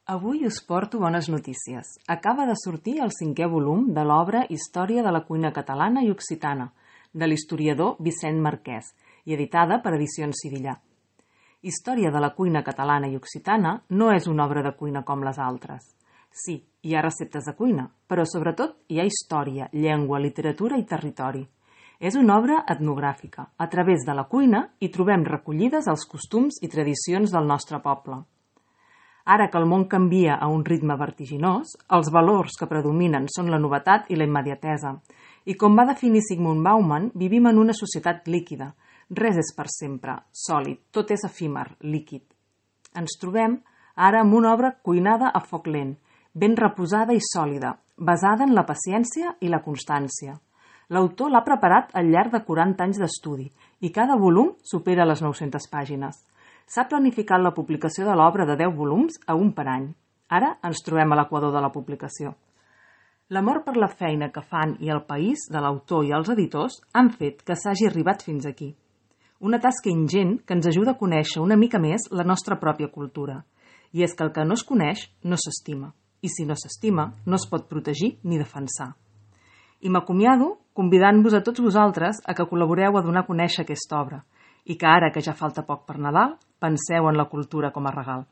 Avui us porto bones notícies. Acaba de sortir el 5è volum de l'obra Història de la cuina catalana i occitana, de l'historiador Vicent Marquès, i editada per Edicions Sivillà. Història de la cuina catalana i occitana no és una obra de cuina com les altres. Sí, hi ha receptes de cuina, però sobretot hi ha història, llengua, literatura i territori. És una obra etnogràfica. A través de la cuina hi trobem recollides els costums i tradicions del nostre poble. Ara que el món canvia a un ritme vertiginós, els valors que predominen són la novetat i la immediatesa. I com va definir Zygmunt Bauman, vivim en una societat líquida. Res és per sempre, sòlid, tot és efímer, líquid. Ens trobem ara amb una obra cuinada a foc lent, ben reposada i sòlida, basada en la paciència i la constància. L'autor l'ha preparat al llarg de 40 anys d'estudi i cada volum supera les 900 pàgines. S'ha planificat la publicació de l'obra de 10 volums a un per any. Ara ens trobem a l'equador de la publicació. L'amor per la feina que fan i el país de l'autor i els editors han fet que s'hagi arribat fins aquí. Una tasca ingent que ens ajuda a conèixer una mica més la nostra pròpia cultura. I és que el que no es coneix no s'estima. I si no s'estima, no es pot protegir ni defensar. I m'acomiado convidant-vos a tots vosaltres a que col·laboreu a donar a conèixer aquesta obra i que ara que ja falta poc per Nadal, penseu en la cultura com a regal.